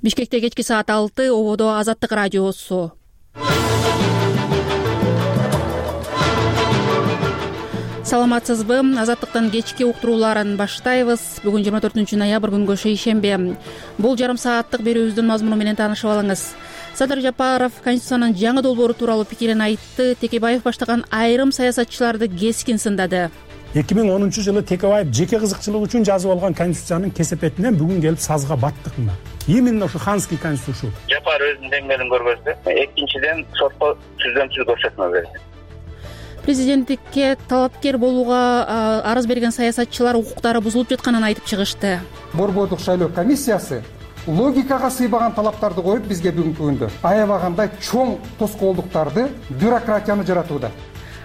Бишкекте кечки саат 6, ободо Азаттык радиосу. Саламатсызбы? Азаттыктын кечки уктурууларын баштайбыз. Бүгүн 24 ноябрь күнгө шейшембе. Бул жарым сааттык берүүбүздүн мазмуну менен таанышып алыңыз. Садыр Жапаров Конституциянын жаңы долбоору тууралуу пикирин айтты. Текебаев баштаган айрым саясатчыларды кескин сындады. 2010-жылы Текебаев жеке кызыкчылык үчүн жазып алган Конституциянын кесепетинен бүгүн келип сазга баттык мына. Именно ушу ханский конституция. Жапаров өзүнүн деңгээлин көргөздү. Экинчиден сотко түздөн-түз көрсөтмө берди. Президенттикке талапкер болууга арыз берген саясатчылар укуктары бузулуп жатканын айтып чыгышты. Борбордук шайлоо комиссиясы логикага сыйбаган талаптарды коюп бизге бүгүнкү күндө аябагандай чоң тоскоолдуктарды, бюрократияны жаратууда.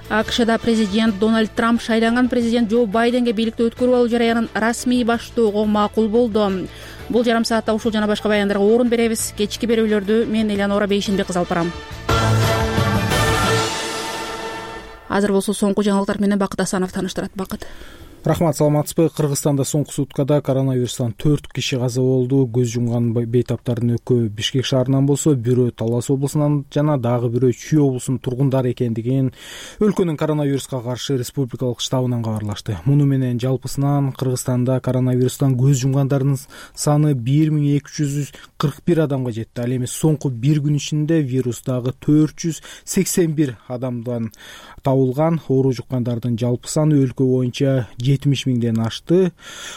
АКШда президент Дональд Трамп шайланган президент Джо Байденге бийликти өткөрүп алуу жараянын расмий баштоого макул болду. Бул жарым саатта ушул жана башка баяндарга орун беребиз. Кечки берүүлөрдү мен Элеонора Бейшенбек кызы алып барам. Азыр болсо соңку жаңылыктар менен Бакыт Асанов тааныштырат. Бакыт. Рахмат, саламатсызбы? Кыргызстанда соңку суткада коронавирустан 4 киши каза болду. Көз жумган бейтаптардын экөө Бишкек шаарынан болсо, бирөө Талас облусунан жана дагы бирөө Чүй облусунун тургундары экендигин өлкөнүн коронавируска каршы республикалык штабынан кабарлашты. Муну менен жалпысынан Кыргызстанда коронавирустан көз жумгандардын саны 1241 адамга жетти. Ал эми соңку бир күн ичинде вирус дагы 481 адамдан табылган. Оору жуккандардын жалпы саны өлкө боюнча 70 миңден ашты.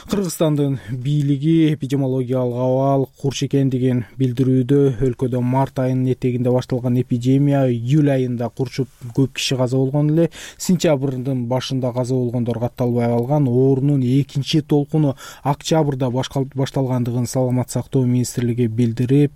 Кыргызстандын бийлиги эпидемиологиялык абал курч экендигин билдирүүдө. Өлкөдө март айынын этегинде башталган эпидемия июль айында курчуп көп киши каза болгон эле. Сентябрдын башында каза болгондор катталбай калган. Оорунун экинчи толкуну октябрда башталгандыгын Саламат сактоо министрлиги билдирип,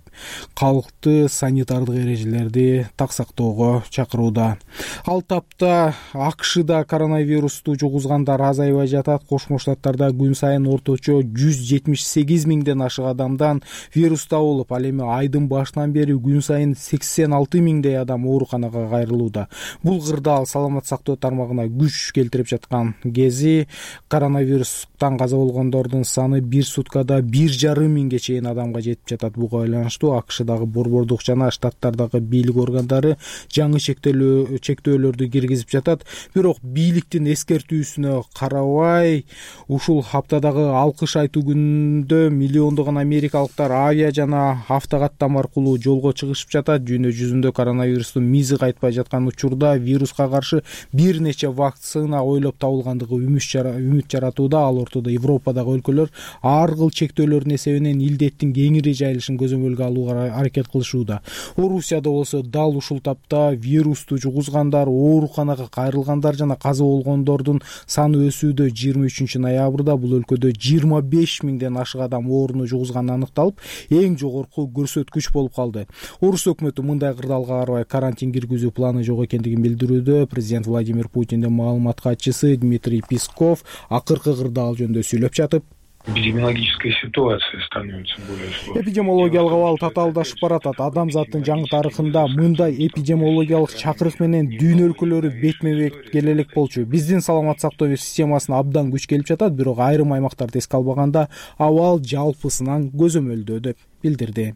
калкты санитардык эрежелерди так сактоого чакырууда. Ал тапта АКШда коронавирусту жугузгандар азайбай жатат. Кошмо Штаттарда күн сайын орточо 178 миңден ашык адамдан вирус табылып, ал эми айдын башынан бери күн сайын 86 миңдей адам ооруканага кайрылууда. Бул кырдаал Саламат сактоо тармагына күч келтирип жаткан кези. Коронавирустан каза болгондордун саны бир суткада 1,5 миңге чейин адамга жетип жатат. Буга байланыштуу АКШдагы борбордук жана штаттардагы бийлик органдары жаңы чектөөлөрдү киргизип жатат. Бирок бийликтин эскертүүсүнө карабай, ушул хаптадагы алкыш айтуу күнүндө миллиондогон америкалыктар авиа жана автокаттам аркылуу жолго чыгышып жатат. Дүйнө жүзүндө коронавирустун мизи кайтпай жаткан учурда вируска каршы бир нече вакцина ойлоп табылгандыгы үмүт жаратууда. Ал ортодо Европадагы өлкөлөр ар кыл чектөөлөрдүн эсебинен илдеттин кеңири жайылышын көзөмөлгө алууга аракет кылышууда. Орусияда болсо дал ушул тапта вирусту жугузгандар, ооруканага кайрылгандар жана каза болгондордун саны өсүүдө. 23 ноябрда бул өлкөдө 25 миңден ашык адам ооруну жугузганы аныкталып, эң жогорку көрсөткүч болуп калды. Орус өкмөтү мындай кырдаалга карабай карантин киргизүү планы жок экендигин билдирүүдө. Президент Владимир Путиндин маалымат катчысы Дмитрий Песков акыркы кырдаал жөнүндө сүйлөп жатып, эпидемиологическая ситуация становится более сложной. Эпидемиологиялык абал татаалдашып баратат. Адамзаттын жаңы тарыхында мындай эпидемиологиялык чакырык менен дүйнө өлкөлөрү бетме-бет келе элек болчу. Биздин саламат сактоо системасына абдан күч келип жатат, бирок айрым аймактарды эске албаганда абал жалпысынан көзөмөлдөө деп билдирди.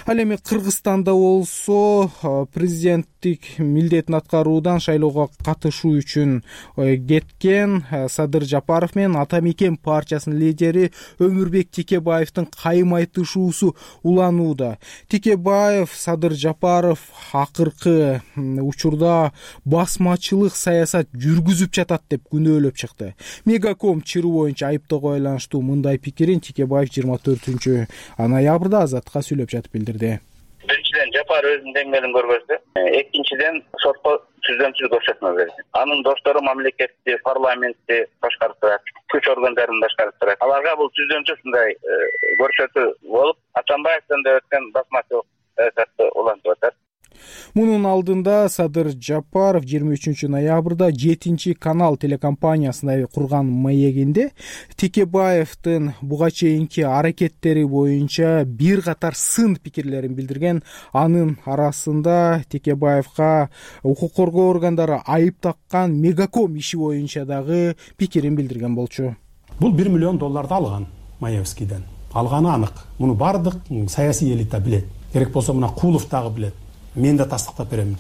Ал эми Кыргызстанда болсо президенттик милдетин аткаруудан шайлоого катышуу үчүн кеткен Садыр Жапаров менен Ата Мекен партиясынын лидери Өмүрбек Текебаевдин кайым айтышуусу уланууда. Текебаев Садыр Жапаров акыркы учурда басмачылык саясат жүргүзүп жатат деп күнөөлөп чыкты. Мегаком чыруу боюнча айыптоого байланыштуу мындай пикирин Текебаев 24 ноябрда Азатка сүйлөп жатып билдирди. Биринчиден Жапар өзүнүн деңгээлин көргөздү. Экинчиден сотко түздөн-түз көрсөтмө берди. Анын достору мамлекетти, парламентти башкарып турат, күч органдарын башкарып турат. Аларга бул түздөн-түз мындай көрсөтүү болуп, Атамбаевден да өткөн басмачылык саясатты улантып атат. Мунун алдында Садыр Жапаров 23 ноябрда 7-канал телекомпаниясына курган маегинде Текебаевдин буга чейинки аракеттери боюнча бир катар сын пикирлерин билдирген. Анын арасында Текебаевга укук коргоо органдары айып таккан Мегаком иши боюнча дагы пикирин билдирген болчу. Бул $1 миллион алган Маевскийден. алганы анык. Муну бардык саясий элита билет. Керек болсо мына Кулов дагы билет. Мен да тастыктап берем.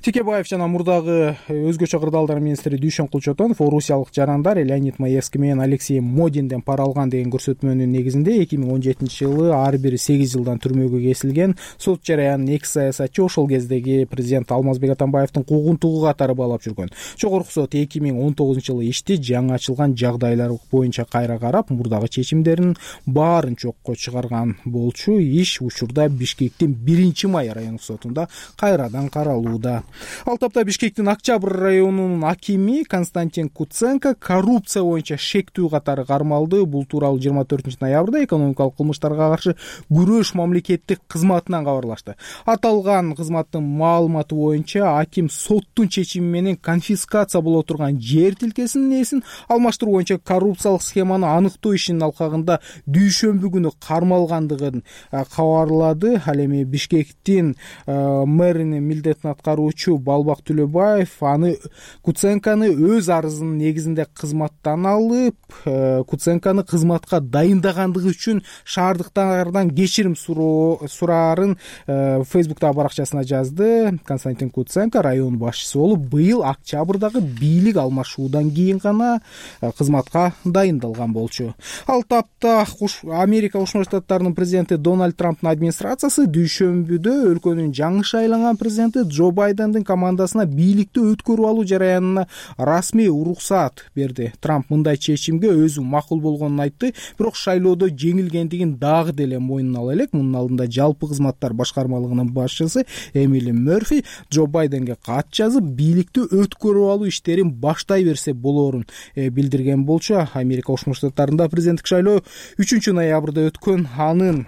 Текебаев жана мурдагы өзгөчө кырдаалдар министри Дүйшөн Кулчотонов орусиялык жарандар Леонид Маевский менен Алексей Модинден пара алган деген көрсөтмөнүн негизинде 2017-жылы ар бири 8 жылдан түрмөгө кесилген. Сот жараянын эки саясатчы ошол кездеги президент Алмазбек Атамбаевдин куугунтугу катары баалап жүргөн. Жогорку сот 2019-жылы ишти жаңы ачылган жагдайлар боюнча кайра карап, мурдагы чечимдерин баарын жокко чыгарган болчу. Иш учурда Бишкектин 1-май райондук сотунда кайрадан каралууда. Ал тапта Бишкектин Октябрь районунун акими Константин Куценко коррупция боюнча шектүү катары кармалды. Бул тууралуу 24-ноябрда экономикалык кылмыштарга каршы күрөш мамлекеттик кызматынан кабарлашты. Аталган кызматтын маалыматы боюнча аким соттун чечими менен конфискация боло турган жер тилкесинин ээсин алмаштыруу боюнча коррупциялык схеманы аныктоо ишинин алкагында дүйшөмбү күнү кармалгандыгын кабарлады. Ал эми Бишкектин мэринин милдетин аткаруучу Балбак Төлөбаев аны Куценканы өз арызынын негизинде кызматтан алып, Куценканы кызматка дайындагандыгы үчүн шаардыктардан кечирим сураарын Фейсбуктагы баракчасына жазды. Константин Куценко район башчысы болуп, быйыл октябрдагы бийлик алмашуудан кийин гана кызматка дайындалган болчу. Ал тапта Америка Кошмо Штаттарынын президенти Дональд Трамптын администрациясы дүйшөмбүдө өлкөнүн жаңы шайланган президенти Джо Байдендин командасына бийликти өткөрүп алуу жараянына расмий уруксаат берди. Трамп мындай чечимге өзү макул болгонун айтты, бирок шайлоодо жеңилгендигин дагы деле мойнуна ала элек. Мунун алдында жалпы кызматтар башкармалыгынын башчысы Эмили Мерфи Джо Байденге кат жазып, бийликти өткөрүп алуу иштерин баштай берсе болоорун билдирген болчу. Америка Кошмо Штаттарында президенттик шайлоо 3-ноябрда өткөн. Анын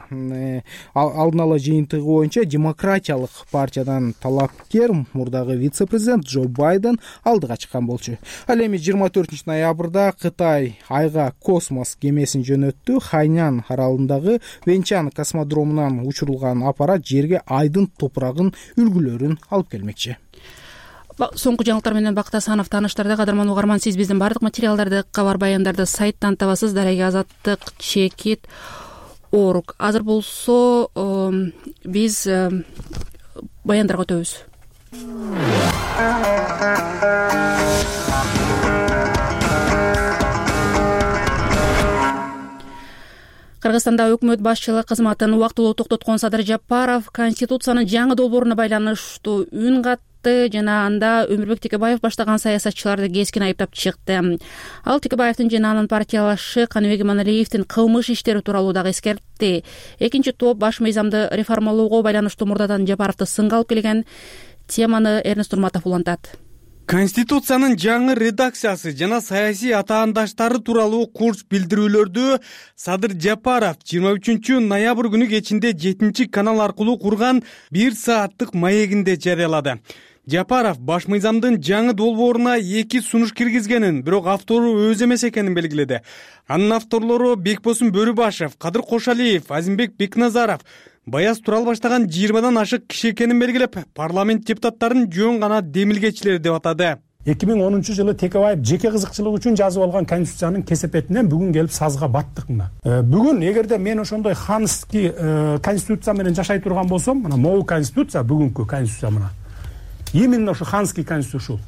алдын ала жыйынтыгы боюнча демократиялык партиядан талапкер мурдагы вице-президент Джо Байден алдыга чыккан болчу. Ал эми 24-ноябрда Кытай айга космос кемесин жөнөттү. Хайнян аралындагы Венчан космодромунан учурулган аппарат жерге айдын топурагын үлгүлөрүн алып келмекчи. Соңку жаңылыктар менен Бакыт Асанов тааныштырды. Кадырман угарман, сиз биздин бардык материалдарды, кабар баяндарды сайттан табасыз. Дарега Азаттык /org. Азыр болсо биз баяндарга өтөбүз. Кыргызстанда өкмөт башчылык кызматын убактылуу токтоткон Садыр Жапаров Конституциянын жаңы долбооруна байланыштуу үн катты жана анда Өмүрбек Текебаев баштаган саясатчыларды кескин айыптап чыкты. Ал Текебаевдин жана анын партиялашы Каныбек Иманалиевдин кылмыш иштери тууралуу дагы эскертти. Экинчи топ баш мыйзамды реформалоого байланыштуу мурдадан Жапаровду сынга алып келген теманы Эрнест Турматов улантат. Конституциянын жаңы редакциясы жана саясий атаандаштары тууралуу курч билдирүүлөрдү Садыр Жапаров 23-ноябрь күнү кечинде 7-канал аркылуу курган 1 сааттык маегинде жарыялады. Жапаров баш мыйзамдын жаңы долбооруна 2 сунуш киргизгенин, бирок автору өзү эмес экенин белгиледи. Анын авторлору Бекбосун Бөрүбашев, Кадыр Кошалиев, Азимбек Бекназаров Баяз Турал баштаган 20дан ашык киши экенин белгилеп, парламент депутаттарын жөн гана демилгечилер деп атады. 2010-жылы Текебаев жеке кызыкчылык үчүн жазып алган конституциянын кесепетинен бүгүн келип сазга баттык мына. Бүгүн эгерде мен ошондой ханский конституция менен жашай турган болсом, мына могу конституция, бүгүнкү конституция мына. Именно ошо ханский конституция ушул.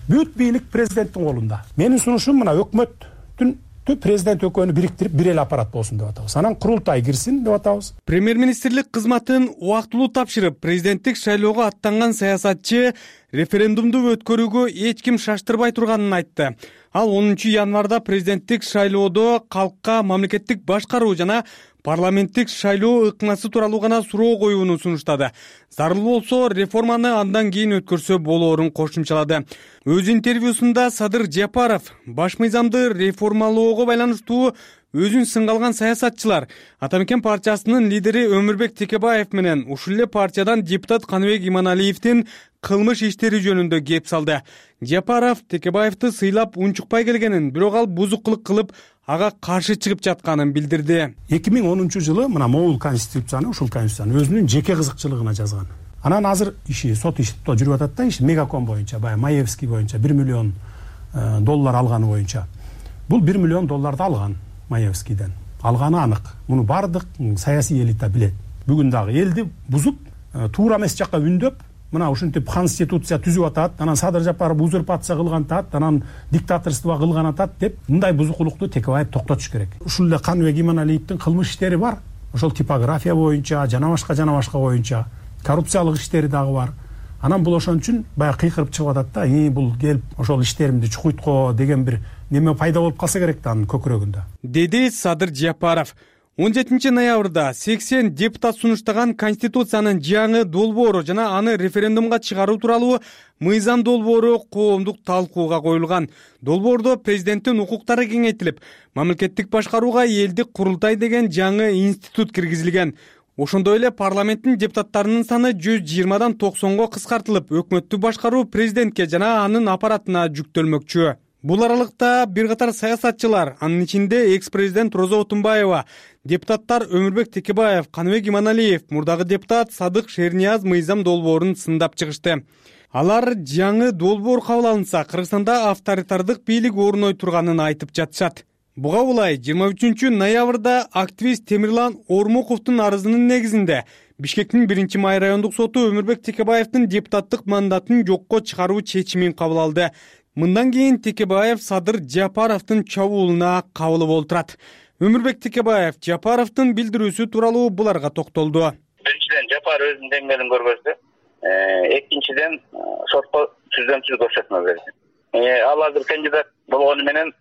Бүт бийлик президенттин колунда. Менин сунушум мына өкмөттүн президент экөөнү бириктирип бир эле аппарат болсун деп атабыз. Анан курултай кирсин деп атабыз. Премьер-министрлик кызматын убактылуу тапшырып, президенттик шайлоого аттанган саясатчы референдумду өткөрүүгө эч ким шаштырбай турганын айтты. Ал 10-январда президенттик шайлоодо калкка мамлекеттик башкаруу жана парламенттик шайлоо ыкмасы тууралуу гана суроо коюуну сунуштады. Зарыл болсо реформаны андан кийин өткөрсө болоорун кошумчалады. Өз интервьюсунда Садыр Жапаров баш мыйзамды реформалоого байланыштуу өзүн сынга алган саясатчылар Атамекен партиясынын лидери Өмүрбек Текебаев менен ушул эле партиядан депутат Каныбек Иманалиевдин кылмыш иштери жөнүндө кеп салды. Жапаров Текебаевди сыйлап унчукпай келгенин, бирок ал бузукулук кылып ага каршы чыгып жатканын билдирди. 2010-жылы мына могул конституцияны, ушул конституцияны өзүнүн жеке кызыкчылыгына жазган. Анан азыр иши сот ишти жүрүп атат да, иш Мегаком боюнча, баягы Маевский боюнча $1 миллион алганы боюнча. Бул $1 миллион алган Маевскийден. алганы анык. Муну бардык саясий элита билет. Бүгүн дагы элди бузуп, туура эмес жакка үндөп, мына ушинтип конституция түзүп атат, анан Садыр Жапаров узурпация кылган атат, анан диктаторство кылган атат деп, мындай бузукулукту Текебаев токтотуш керек. Ушул эле Каныбек Иманалиевдин кылмыш иштери бар. Ошол типография боюнча, жана башка боюнча коррупциялык иштери дагы бар. Анан бул ошон үчүн баягы кыйкырып чыгып атат да, бул келип ошол иштеримди чукуйтко деген бир неме пайда болуп калса керек да анын көкүрөгүндө, деди Садыр Жапаров. 17 ноябрда 80 депутат сунуштаган Конституциянын жаңы долбоору жана аны референдумга чыгаруу тууралуу мыйзам долбоору коомдук талкууга коюлган. Долбоордо президенттин укуктары кеңейтилип, мамлекеттик башкарууга элдик курултай деген жаңы институт киргизилген. Ошондой эле парламенттин депутаттарынын саны 120дан 90го кыскартылып, өкмөттү башкаруу президентке жана анын аппаратына жүктөлмөкчү. Бул аралыкта бир катар саясатчылар, анын ичинде экс-президент Роза Отунбаева, депутаттар Өмүрбек Текебаев, Каныбек Иманалиев, мурдагы депутат Садык Шернияз мыйзам долбоорун сындап чыгышты. Алар жаңы долбоор кабыл алынса, Кыргызстанда авторитардык бийлик орной турганын айтып жатышат. Буга улай 23 ноябрда активист Темирлан Ормуковдун арызынын негизинде Бишкектин 1-Май райондук соту Өмүрбек Текебаевдин депутаттык мандатын жокко чыгаруу чечимин кабыл алды. Мындан кийин Текебаев Садыр Жапаровдун чабуулуна кабыл болуп турат. Өмүрбек Текебаев Жапаровдун билдирүүсү тууралуу буларга токтолду. Биринчиден, Жапаров өзүнүн деңгээлин көргөздү. Экинчиден, сотко түздөн-түз көрсөтмө берди. Ал азыр кандидат болгону менен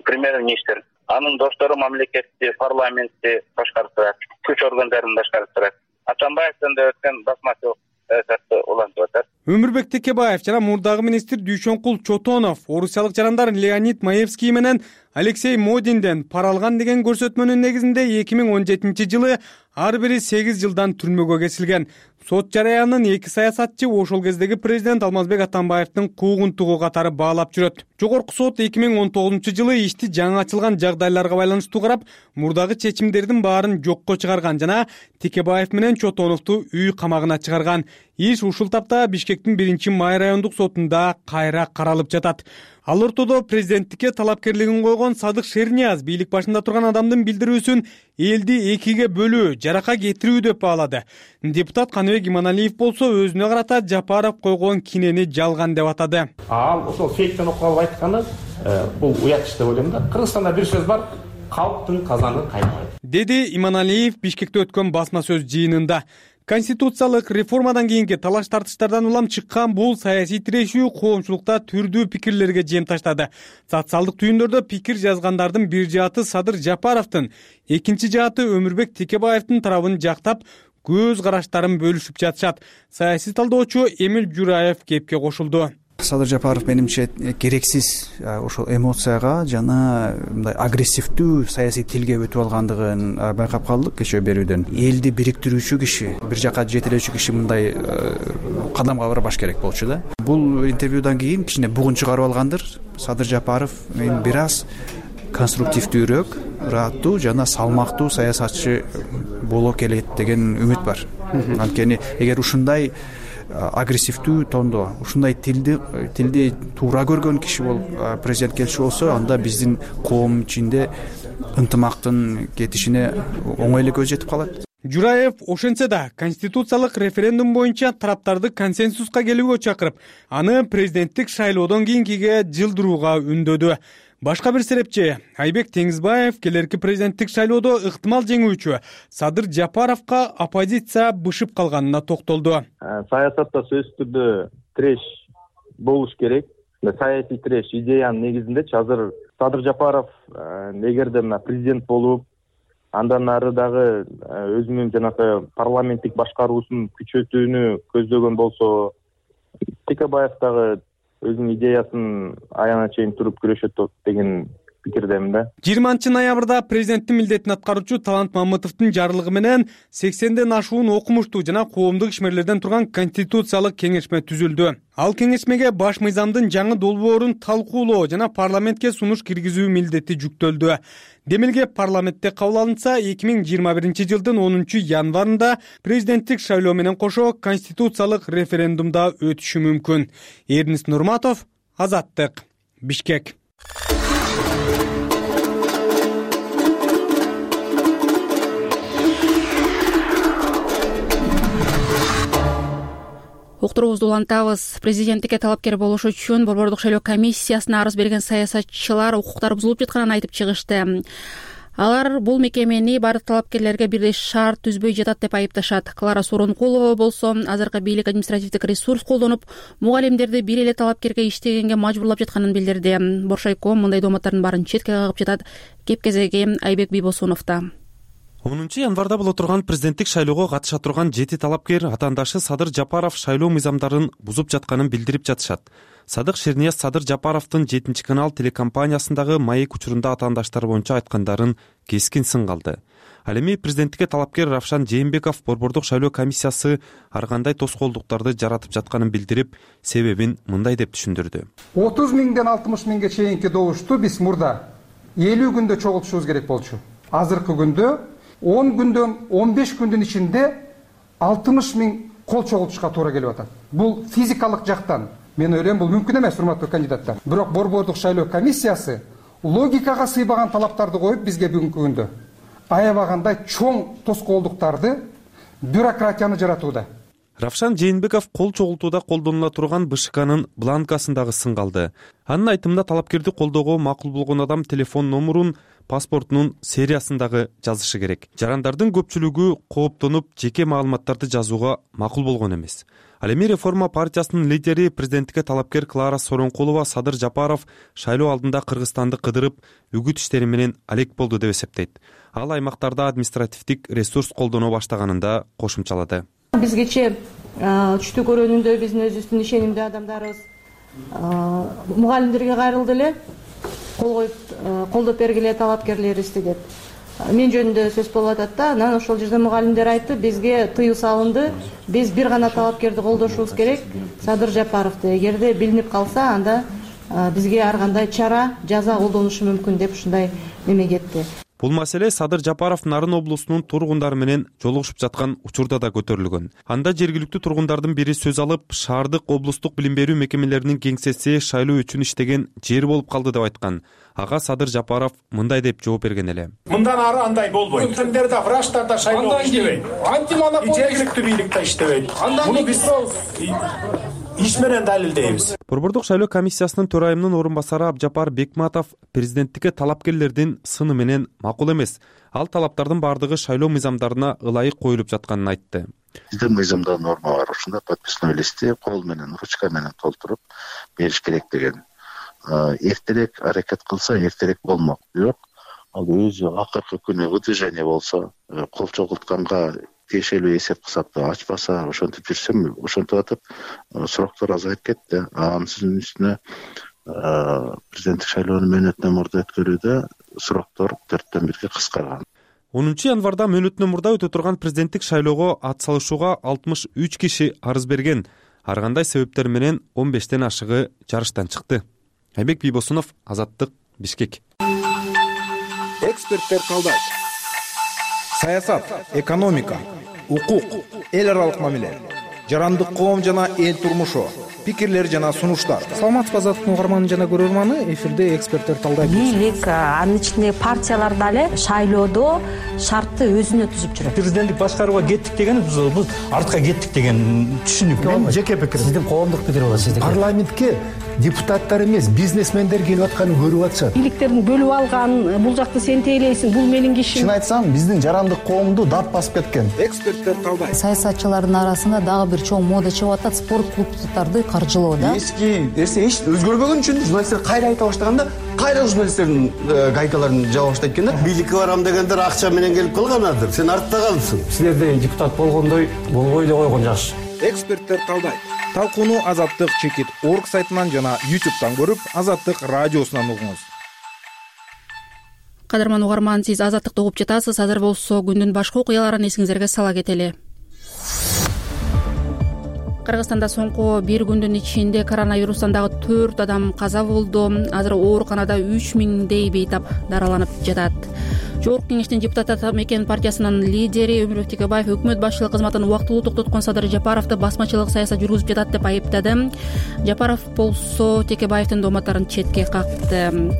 премьер-министр, анын достору мамлекетти, парламентти башкарып турат, күч органдарын башкарып турат. Атамбаевден да өткөн басмачылык саясатты улантып атат. Өмүрбек Текебаев жана мурдагы министр Дүйшөнкул Чотонов орусиялык жарандар Леонид Маевский менен Алексей Модинден пара алган деген көрсөтмөнүн негизинде 2017 жылы ар бири 8 жылдан түрмөгө кесилген. Сот жараянын 2 саясатчы ошол кездеги президент Алмазбек Атамбаевдин куугунтугу катары баалап жүрөт. Жогорку сот 2019 жылы ишти жаңы ачылган жагдайларга байланыштуу карап, мурдагы чечимдердин баарын жокко чыгарган жана Текебаев менен Чотоновду үй камагына чыгарган. Иш ушул тапта Бишкектин 1-Май райондук сотунда кайра каралып жатат. Ал ортодо президенттикке талапкерлигин койгон Садык Шернияз бийлик башында турган адамдын билдирүүсүн элди экиге бөлүү, жарака кетирүү деп баалады. Депутат Каныбек Иманалиев болсо өзүнө карата Жапаров койгон кинени жалган деп атады. Ал ошол фейктен окуп алып айтканы бул уят иш деп ойлойм да. Кыргызстанда бир сөз бар, калктын казаны кайнабайт, деди Иманалиев Бишкекте өткөн басма сөз жыйынында. Конституциялык реформадан кийинки талаш тартыштардан улам чыккан бул саясий тирешүү коомчулукта түрдүү пикирлерге жем таштады. Социалдык түйүндөрдө пикир жазгандардын бир жааты Садыр Жапаровдун, экинчи жааты Өмүрбек Текебаевдин тарабын жактап, көз караштарын бөлүшүп жатышат. Саясий талдоочу Эмил Жураев кепке кошулду. Садыр Жапаров менимче керексиз ошол эмоцияга жана мындай агрессивдүү саясий тилге өтүп алгандыгын байкап калдык кечээ берүүдөн. Элди бириктирүүчү киши, бир жака жетелөөчү киши мындай кадамга барбаш керек болчу да. Бул интервьюдан кийин кичине бугун чыгарып алгандыр. Садыр Жапаров мен бир аз конструктивдүүрөөк, ыраттуу жана салмактуу саясатчы боло келет деген үмүт бар. Анткени эгер ушундай агрессивдүү тондо, ушундай тилди туура көргөн киши болуп президент келчү болсо, анда биздин коом ичинде ынтымактын кетишине оңой эле көз жетип калат. Жураев ошентсе да конституциялык референдум боюнча тараптарды консенсуска келүүгө чакырып, аны президенттик шайлоодон кийинкиге жылдырууга үндөдү. Башка бир серепчи Айбек Теңизбаев келерки президенттик шайлоодо ыктымал жеңүүчү Садыр Жапаровго оппозиция бышып калганына токтолду. Саясатта сөзсүз түрдө тиреш болуш керек. Саясий тиреш идеянын негизиндечи азыр Садыр Жапаров эгерде президент болуп, андан ары дагы өзүнүн жанагы парламенттик башкаруусун күчөтүүнү көздөгөн болсо, Текебаев дагы өзүнүн идеясын аягына чейин туруп күрөшөт деген пикирдемин да. 20 ноябрда президенттин милдетин аткаруучу Талант Мамытовдун жарлыгы менен 80ден ашуун окумуштуу жана коомдук ишмерлерден турган конституциялык кеңешме түзүлдү. Ал кеңешмеге баш мыйзамдын жаңы долбоорун талкуулоо жана парламентке сунуш киргизүү милдети жүктөлдү. Демилге парламентте кабыл алынса, 2021 жылдын 10 январында президенттик шайлоо менен кошо конституциялык референдумда өтүшү мүмкүн. Эрнис Нурматов, Азаттык, Бишкек. уктуруубузду улантабыз. Президенттикке талапкер болуш үчүн Борбордук шайлоо комиссиясына арыз берген саясатчылар укуктары бузулуп жатканын айтып чыгышты. Алар бул мекемени бардык талапкерлерге бирдей шарт түзбөй жатат деп айыпташат. Клара Сооронкулова болсо азыркы бийлик административдик ресурс колдонуп, мугалимдерди бир эле талапкерге иштегенге мажбурлап жатканын билдирди. Боршайком мындай дооматтардын баарын четке кагып жатат. Кеп кезеги Айбек Бийбосуновдо. 10 январда боло турган президенттик шайлоого катыша турган 7 талапкер атаандашы Садыр Жапаров шайлоо мыйзамдарын бузуп жатканын билдирип жатышат. Садык Шернияз Садыр Жапаровдун 7 канал телекомпаниясындагы маек учурунда атаандаштары боюнча айткандарын кескин сынга алды. Ал эми президенттикке талапкер Равшан Жээнбеков Борбордук шайлоо комиссиясы ар кандай тоскоолдуктарды жаратып жатканын билдирип, себебин мындай деп түшүндүрдү. 30 миңден 60 миңге чейинки добушту биз мурда 50 күндө чогултушубуз керек болчу. Азыркы күндө 10 күндөн 15 күндүн ичинде 60 миң кол чогултушка туура келип атат. Бул физикалык жактан мен ойлойм бул мүмкүн эмес, урматтуу кандидаттар. Бирок Борбордук шайлоо комиссиясы логикага сыйбаган талаптарды коюп бизге бүгүнкү күндө аябагандай чоң тоскоолдуктарды, бюрократияны жаратууда. Равшан Жээнбеков кол чогултууда колдонула турган БШКнын бланкасындагы сынга алды. Анын айтымында талапкерди колдоого макул болгон адам телефон номурун, паспортунун сериясындагы жазышы керек. Жарандардын көпчүлүгү кооптонуп, жеке маалыматтарды жазууга макул болгон эмес. Ал эми Реформа партиясынын лидери президенттикке талапкер Клара Сооронкулова Садыр Жапаров шайлоо алдында Кыргызстанды кыдырып, үгүт иштери менен алек болду деп эсептейт. Ал аймактарда административдик ресурс колдоно баштаганын да кошумчалады. Бизгече түштү көрүүнүндө биздин өзүбүздүн ишенимдүү адамдарыбыз мугалимдерге кайрылды эле, кол коюп колдоп бергиле талапкерлерибизди деп. Мен жөнүндө сөз болуп атат да, анан ошол жерде мугалимдер айтты, бизге тыюу салынды, биз бир гана талапкерди колдошубуз керек, Садыр Жапаровду. Эгерде билинип калса, анда бизге ар кандай чара, жаза колдонушу мүмкүн деп ушундай неме кетти. Бул маселе Садыр Жапаров Нарын облусунун тургундары менен жолугушуп жаткан учурда да көтөрүлгөн. Анда жергиликтүү тургундардын бири сөз алып, шаардык облустук билим берүү мекемелеринин кеңсеси шайлоо үчүн иштеген жер болуп калды деп айткан. Ага Садыр Жапаров мындай деп жооп берген эле. Мындан ары андай болбойт. Өкмөттөр да, врачтар да шайлоо иштебейт. Жергиликтүү бийлик да иштебейт. Муну биз иш менен далилдейбиз. Борбордук шайлоо комиссиясынын төрайымынын орун басары Абжапар Бекматов президенттикке талапкерлердин сыны менен макул эмес. Ал талаптардын бардыгы шайлоо мыйзамдарына ылайык коюлуп жатканын айтты. Бизде мыйзамда норма бар, ушунда подписной листти кол менен, ручка менен толтуруп бериш керек деген. Эртерээк аракет кылса эртерээк болмок. Бирок ал өзү акыркы күнү выдвижение болсо, кол чогултканга тиешелүү эсеп кысапты ачпаса, ошентип жүрсөм, ошентип атып суроктор азайып кетти. Анын үстүнө президенттик шайлоонун мөөнөтүнөн мурда өткөрүүдө суроктор 4-төн 1-ге кыскарган. 10 январда мөөнөтүнөн мурда өтө турган президенттик шайлоого ат салышууга 63 киши арыз берген. Ар кандай себептер менен 15тен ашыгы жарыштан чыкты. Айбек Бийбосунов, Азаттык, Бишкек. Эксперттер калдайт. Саясат, экономика, укук, эл аралык мамиле, жарандык коом жана эл турмушу, пикирлер жана сунуштар. Саламатсызбы, Азаттык угарманы жана көрөрманы, эфирде эксперттер талдайт. Бийлик, анын ичинде партиялар дагы шайлоодо шартты өзүнө түзүп жүрөт. Президенттик башкарууга кеттик деген биз артка кеттик деген түшүнүк. Мен жеке пикирим. Сиздин коомдук пикир болот сиздики. Парламентке депутаттар эмес, бизнесмендер келип атканын көрүп атышат. Бийликтердин бөлүп алган, бул жакты сен тейлейсиң, бул менин кишим. Чын айтсам, биздин жарандык коомду дат басып кеткен. Эксперттер талдайт. Саясатчылардын арасында дагы бир чоң мода чыгып атат, спорт клубдарды каржылоо да. Эски нерсе эч өзгөрбөгөн үчүн журналисттер кайра айта баштаганда, кайра журналисттердин гайкаларын жаба баштайт экен да. Бийликке барам дегендер акча менен келип калганадыр. Сен артта калыпсың. Силерде депутат болгондой болбой эле койгон жакшы. Эксперттер талдайт. Талкууну Азаттык чекит орг сайтынан жана YouTube'дан көрүп, Азаттык радиосунан угуңуз. Кадырман угарман, сиз Азаттыкты угуп жатасыз. Азыр болсо күндүн башка окуяларын эсиңизерге сала кетели. Кыргызстанда соңку бир күндүн ичинде коронавирустан дагы 4 адам каза болду. Азыр ооруканада 3000дей бейтап дараланып жатат. Жогорку кеңештин депутаттар мекен партиясынын лидери Өмүрбек Текебаев өкмөт башчылык кызматын убактылуу токтоткон Садыр Жапаровду басмачылык саясат жүргүзүп жатат деп айыптады. Жапаров болсо Текебаевдин дооматтарын четке какты.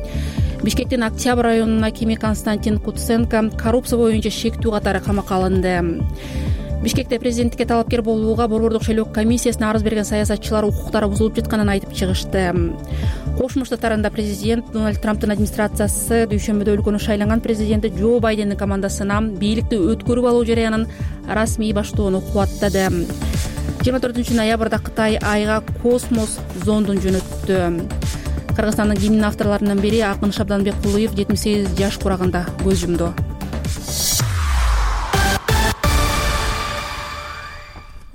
Бишкектин Октябрь районунун акими Константин Куценко коррупция боюнча шектүү катары камакка алынды. Бишкекте президенттикке талапкер болууга Борбордук шайлоо комиссиясына арыз берген саясатчылар укуктары бузулуп жатканын айтып чыгышты. Кошмо Штаттарында президент Дональд Трамптын администрациясы дүйшөмбүдө өлкөнүн шайланган президенти Джо Байдендин командасына бийликти өткөрүп алуу жарыянын расмий баштоону кубаттады. 24 ноябрда Кытай айга космос зондун жөнөттү. Кыргызстандын гимн авторлорунун бири Акын Шабданбекулуев 78 жаш курагында көз жумду.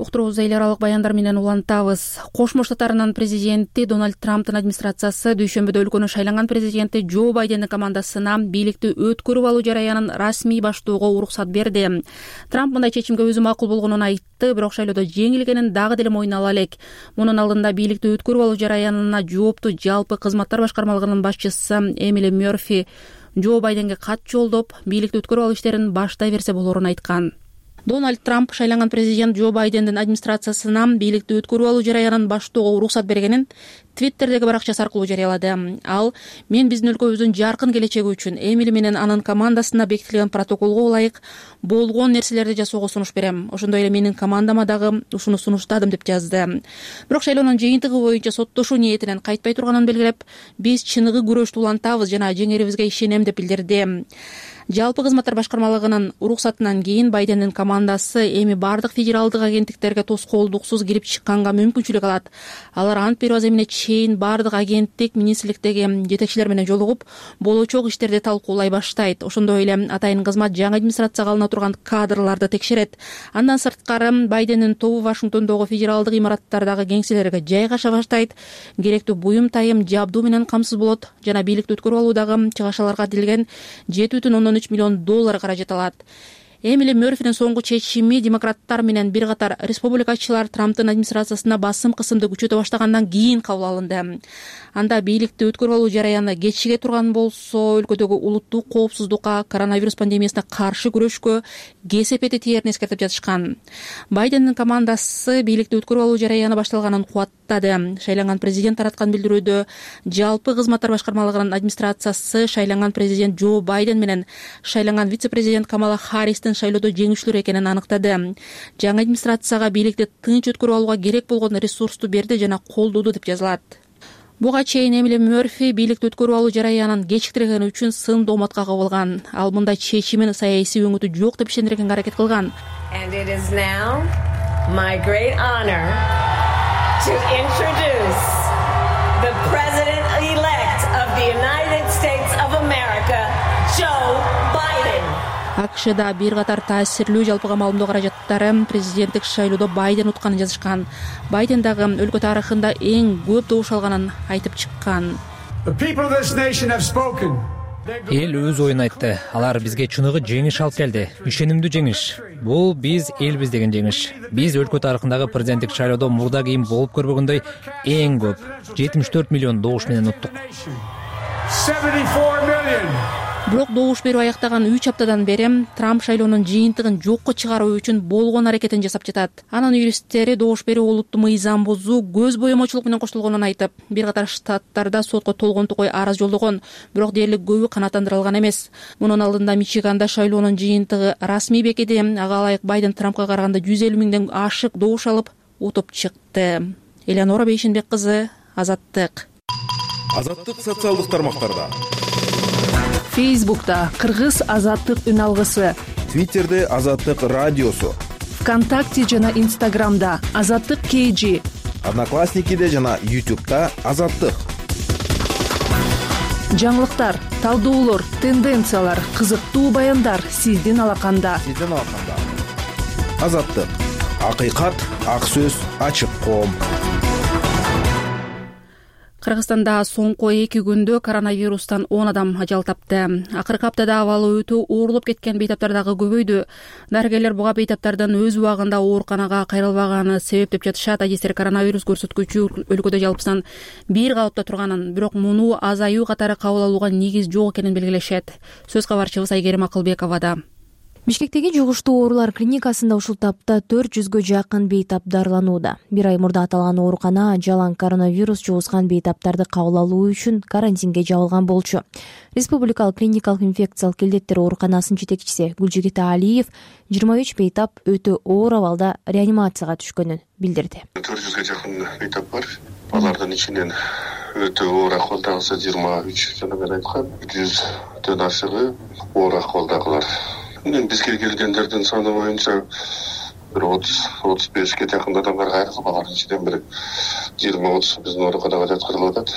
Уктуруубузду эл аралык баяндар менен улантабыз. Кошмо Штаттарынын президенти Дональд Трамптын администрациясы дүйшөмбүдө өлкөнүн шайланган президенти Джо Байдендин командасына бийликти өткөрүп алуу жарыянын расмий баштоого уруксат берди. Трамп мындай чечимге өзү макул болгонун айтты, бирок шайлоодо жеңилгенин дагы деле мойнуна ала элек. Мунун алдында бийликти өткөрүп алуу жарыянына жооптуу жалпы кызматтар башкармалыгынын башчысы Эмили Мерфи Джо Байденге кат жолдоп, бийликти өткөрүп алуу иштерин баштай берсе болорун айткан. Дональд Трамп шайланган президент Джо Байдендин администрациясына бийликти өткөрүп алуу жарыянын баштоого уруксат бергенин Твиттердеги баракчасы аркылуу жарыялады. Ал: "Мен биздин өлкөбүздүн жаркын келечеги үчүн Эмили менен анын командасына бекитилген протоколго ылайык болгон нерселерди жасоого сунуш берем. Ошондой эле менин командама дагы ушуну сунуштадым", деп жазды. Бирок шайлоонун жыйынтыгы боюнча соттошуу ниетинен кайтпай турганын белгилеп, "Биз чыныгы күрөштү улантабыз жана жеңерибизге ишенем", деп билдирди. Жалпы кызматтар башкармалыгынын уруксатынан кийин Байдендин командасы эми бардык федералдык агенттиктерге тоскоолдуксуз кирип чыкканга мүмкүнчүлүк алат. Алар ант берүү аземине чейин бардык агенттик министрликтеги жетекчилер менен жолугуп, болочок иштерди талкуулай баштайт. Ошондой эле атайын кызмат жаңы администрацияга алына турган кадрларды текшерет. Андан сырткары Байдендин тобу Вашингтондогу федералдык имараттардагы кеңселерге жайгаша баштайт, керектүү буюм тайым жабдуу менен камсыз болот жана бийликти өткөрүп алуудагы чыгашаларга адилген $7,3 миллион каражат алат. Эмили Мерфинин соңку чечими демократтар менен бир катар республикачылар Трамптын администрациясына басым кысымды күчөтө баштагандан кийин кабыл алынды. Анда бийликти өткөрүп алуу жарыяны кечиге турган болсо, өлкөдөгү улуттук коопсуздукка, коронавирус пандемиясына каршы күрөшкө кесепети тиерин эскертип жатышкан. Байдендин командасы бийликти өткөрүп алуу жарыяны башталганын кубаттады. Шайланган президент тараткан билдирүүдө жалпы кызматтар башкармалыгынын администрациясы шайланган президент Джо Байден менен шайланган вице-президент Камала Харристин шайлоодо жеңүүчүлөр экенин аныктады. Жаңы администрацияга бийликти тынч өткөрүп алууга керек болгон ресурсту берди жана колдоду, деп жазылат. Буга чейин Эмили Мерфи бийликти өткөрүп алуу жарыянын кечиктиргени үчүн сын дооматка кабылган. Ал мындай чечимин саясий өңүтү жок деп ишендиргенге аракет кылган. And it is now my great honor to introduce the president-elect of the United States of America, Joe Biden. АКШда бир катар таасирлүү жалпыга маалымдоо каражаттары президенттик шайлоодо Байден утканын жазышкан. Байден дагы өлкө тарыхында эң көп добуш алганын айтып чыккан. Эл өз оюн айтты. Алар бизге чыныгы жеңиш алып келди. Ишенимдүү жеңиш. Бул биз элбиз деген жеңиш. Биз өлкө тарыхындагы президенттик шайлоодо мурда кийин болуп көрбөгөндөй эң көп 74 миллион добуш менен уттук. Бирок добуш берүү аяктаган 3 аптадан бери Трамп шайлоонун жыйынтыгын жокко чыгаруу үчүн болгон аракетин жасап жатат. Анын юристтери добуш берүү олуттуу мыйзам бузуу, көз боемочулук менен коштолгонун айтып, бир катар штаттарда сотко толгонтукой арыз жолдогон, бирок дээрлик көбү канааттандырылган эмес. Мунун алдында Мичиганда шайлоонун жыйынтыгы расмий бекиди. Ага ылайык Байден Трампка караганда 150 миңден ашык добуш алып, утуп чыкты. Элеонора Бейшенбек кызы, Азаттык. Азаттык социалдык тармактарда. Фейсбукта Кыргыз Азаттык үн алгысы, Твиттерде Азаттык радиосу, ВКонтакте жана Инстаграмда Азаттык KG, Одноклассникиде жана YouTube'да Азаттык. Жаңылыктар, талдоолор, тенденциялар, кызыктуу баяндар сиздин алаканда. Азаттык. Акыйкат, ак сөз, ачык коом. Кыргызстанда соңку 2 күндө коронавирустан 10 адам ажал тапты. Акыркы аптада абалы өтө оорлоп кеткен бейтаптар дагы көбөйдү. Дарыгерлер буга бейтаптардын өз убагында ооруканага кайрылбаганы себеп деп жатышат. Адистер коронавирус көрсөткүчү өлкөдө жалпысынан 1 калыпта турганын, бирок муну азаюу катары кабыл алууга негиз жок экенин белгилешет. Сөз кабарчыбыз Айгерим Акылбековада. Бишкектеги жугуштуу оорулар клиникасында ушул тапта 400гө жакын бейтап дарыланууда. Бир ай мурда аталган оорукана жалаң коронавирус жугузган бейтаптарды кабыл алуу үчүн карантинге жабылган болчу. Республикалык клиникалык инфекциялык келдеттер ооруканасынын жетекчиси Гүлжигит Алиев 23 бейтап өтө оор абалда реанимацияга түшкөнүн билдирди. 400гө жакын бейтап бар. Алардын ичинен өтө оор акыбалдагысы 23, жана мен айткан 100дөн ашыгы оор акыбалдагылар. Бизге келгендердин саны боюнча бир 30-35ке жакын адамдар кайрылып, алардын ичинен бир 20-30 биздин ооруканага жаткырылып атат.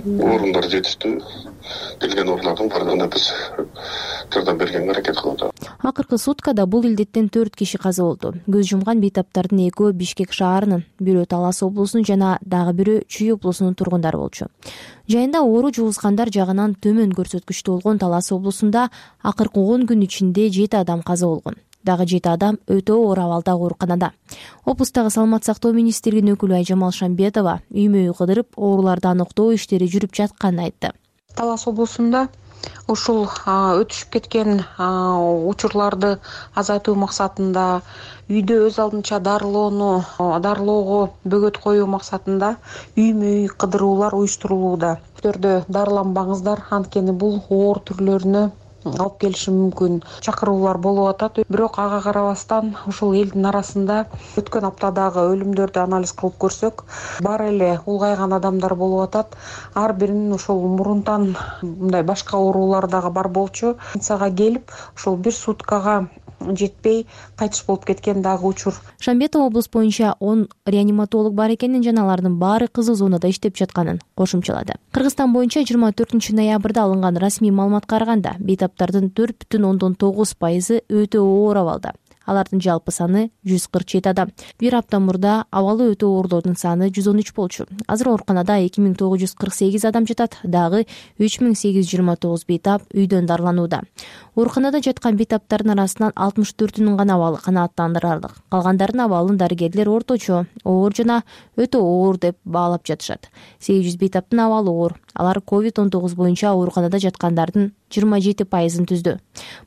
Орундар жетиштүү. Келген оорулардын баардыгына биз жардам бергенге аракет кылып атабыз. Акыркы суткада бул илдеттен 4 киши каза болду. Көз жумган бейтаптардын экөө Бишкек шаарынын, бирөө Талас облусунун жана дагы бирөө Чүй облусунун тургундары болчу. Жайында оору жугузгандар жагынан төмөн көрсөткүчтүү болгон Талас облусунда акыркы 10 күн ичинде 7 адам каза болгон. Дагы 7 адам өтө оор абалда ооруканада. Облустагы саламат сактоо министрлигинин өкүлү Айжамал Шамбетова үймө-үй кыдырып, ооруларды аныктоо иштери жүрүп жатканын айтты. Талас облусунда ушул өтүшүп кеткен учурларды азайтуу максатында үйдө өз алдынча дарылоого бөгөт коюу максатында үймө-үй кыдыруулар уюштурулууда. Үйлөрдө дарыланбаңыздар, анткени бул оор түрлөрүнө алып келиши мүмкүн. Чакыруулар болуп атат. Бирок ага карабастан ушул элдин арасында өткөн аптадагы өлүмдөрдү анализ кылып көрсөк, бар эле улгайган адамдар болуп атат. Ар биринин ушул мурунтан мындай башка оорулар дагы бар болчу. Больницага келип, ушул бир суткага жетпей кайтыш болуп кеткен дагы учур. Шамбетова облус боюнча 10 реаниматолог бар экенин жана алардын баары кызыл зонада иштеп жатканын кошумчалады. Кыргызстан боюнча 24 ноябрда алынган расмий маалыматка караганда бейтаптардын 4,9% өтө оор абалда. Алардын жалпы саны 147 адам. Бир апта мурда абалы өтө оорлордун саны 113 болчу. Азыр ооруканада 2948 адам жатат, дагы 3829 бейтап үйдөн дарыланууда. Ооруканада жаткан бейтаптардын арасынан 64-үнүн гана абалы канааттандырарлык. Калгандарынын абалын дарыгерлер орточо, оор жана өтө оор деп баалап жатышат. 800 бейтаптын абалы оор. Алар COVID-19 боюнча ооруканада жаткандардын 27%-ын түздү.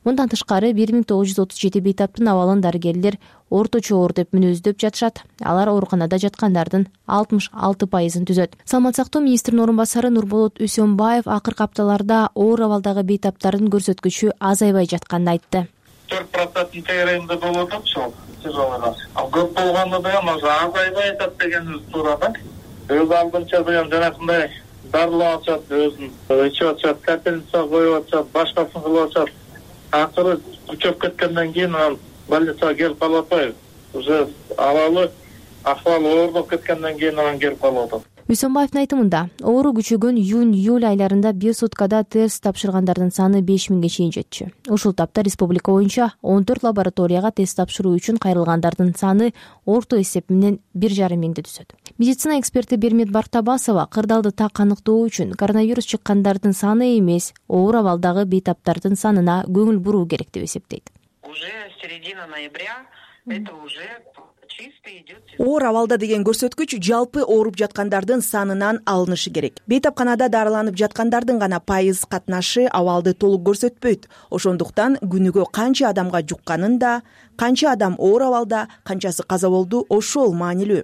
Мындан тышкары 1937 бейтаптын абалын дарыгерлер орточо оор деп мүнөздөп жатышат. Алар ооруканада жаткандардын 66%-ын түзөт. Саламат сактоо министринин орун басары Нурболот Үсөнбаев акыркы апталарда оор абалдагы бейтаптардын көрсөткүчү азайбай жатканын айтты. 4% тегерегинде болуп атат ошол тяжелыйлар. Ал көп болгондо да азайбай атат дегенибиз туура да. Өз алдынча жанакындай дарылап атышат, өзүн ичип атышат, капельница коюп атышат, башкасын кылып атышат. Акыры күчөп кеткенден кийин анан больницага келип калып атпайбы. Уже ахвалы оорлоп кеткенден кийин анан келип калып атат. Үсөнбаевдин айтымында, оору күчөгөн июнь-июль айларында бир суткада тест тапшыргандардын саны 5000ге чейин жетчү. Ушул тапта республика боюнча 14 лабораторияга тест тапшыруу үчүн кайрылгандардын саны орто эсеп менен 1,5 миңди түзөт. Медицина эксперти Бермет Бартабасова кырдаалды так аныктоо үчүн коронавирус чыккандардын саны эмес, оор абалдагы бейтаптардын санына көңүл буруу керек деп эсептейт. Уже середина ноября это уже оор абалда деген көрсөткүч жалпы ооруп жаткандардын санынан алынышы керек. Бейтапканада дарыланып жаткандардын гана пайыз катнашы абалды толук көрсөтпөйт. Ошондуктан күнүгө канча адамга жукканын да, канча адам оор абалда, канчасы каза болду, ошол маанилүү.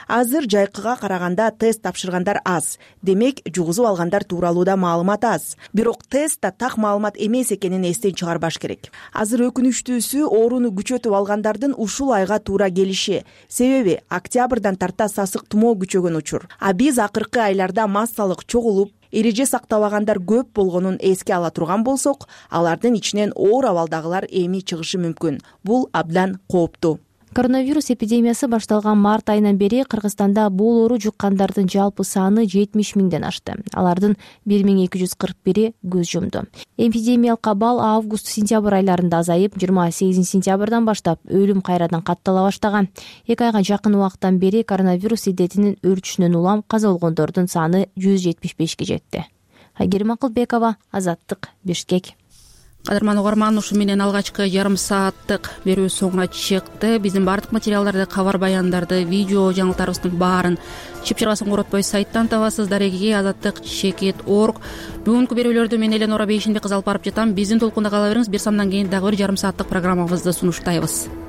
Азыр жайкыга караганда тест тапшыргандар аз. Демек, жугузуп алгандар тууралуу да маалымат аз. Бирок тестта так маалымат эмес экенин эстен чыгарбаш керек. Азыр өкүнүчтүүсү ооруну күчөтүп алгандардын ушул айга туура келиши. Себеби октябрдан тарта сасык тумоо күчөгөн учур. А биз акыркы айларда массалык чогулуп, эреже сактабагандар көп болгонун эске ала турган болсок, алардын ичинен оор абалдагылар эми чыгышы мүмкүн. Бул абдан кооптуу. Коронавирус эпидемиясы башталган март айынан бери Кыргызстанда бул оору жуккандардын жалпы саны 70 миңден ашты. Алардын 1241-и көз жумду. Эпидемиялык абал август-сентябрь айларында азайып, 28 сентябрдан баштап өлүм кайрадан каттала баштаган. 2 айга жакын убакыттан бери коронавирус илдетинин өрчүшүнөн улам каза болгондордун саны 175ке жетти. Айгерим Акылбекова, Азаттык, Бишкек. кадырман угарман, ушу менен алгачкы жарым сааттык берүү соңуна чыкты. Биздин баардык материалдарды, кабар баяндарды, видео жаңылыктарыбыздын баарын чыпчыргасын коротпой сайттан табасыз. дареги azattik.org. Бүгүнкү берүүлөрдү мен Эленора Бейшенбек кызы алып барып жатам. Биздин толкунда кала бериңиз. Бир сандан кийин дагы бир жарым сааттык программабызды сунуштайбыз.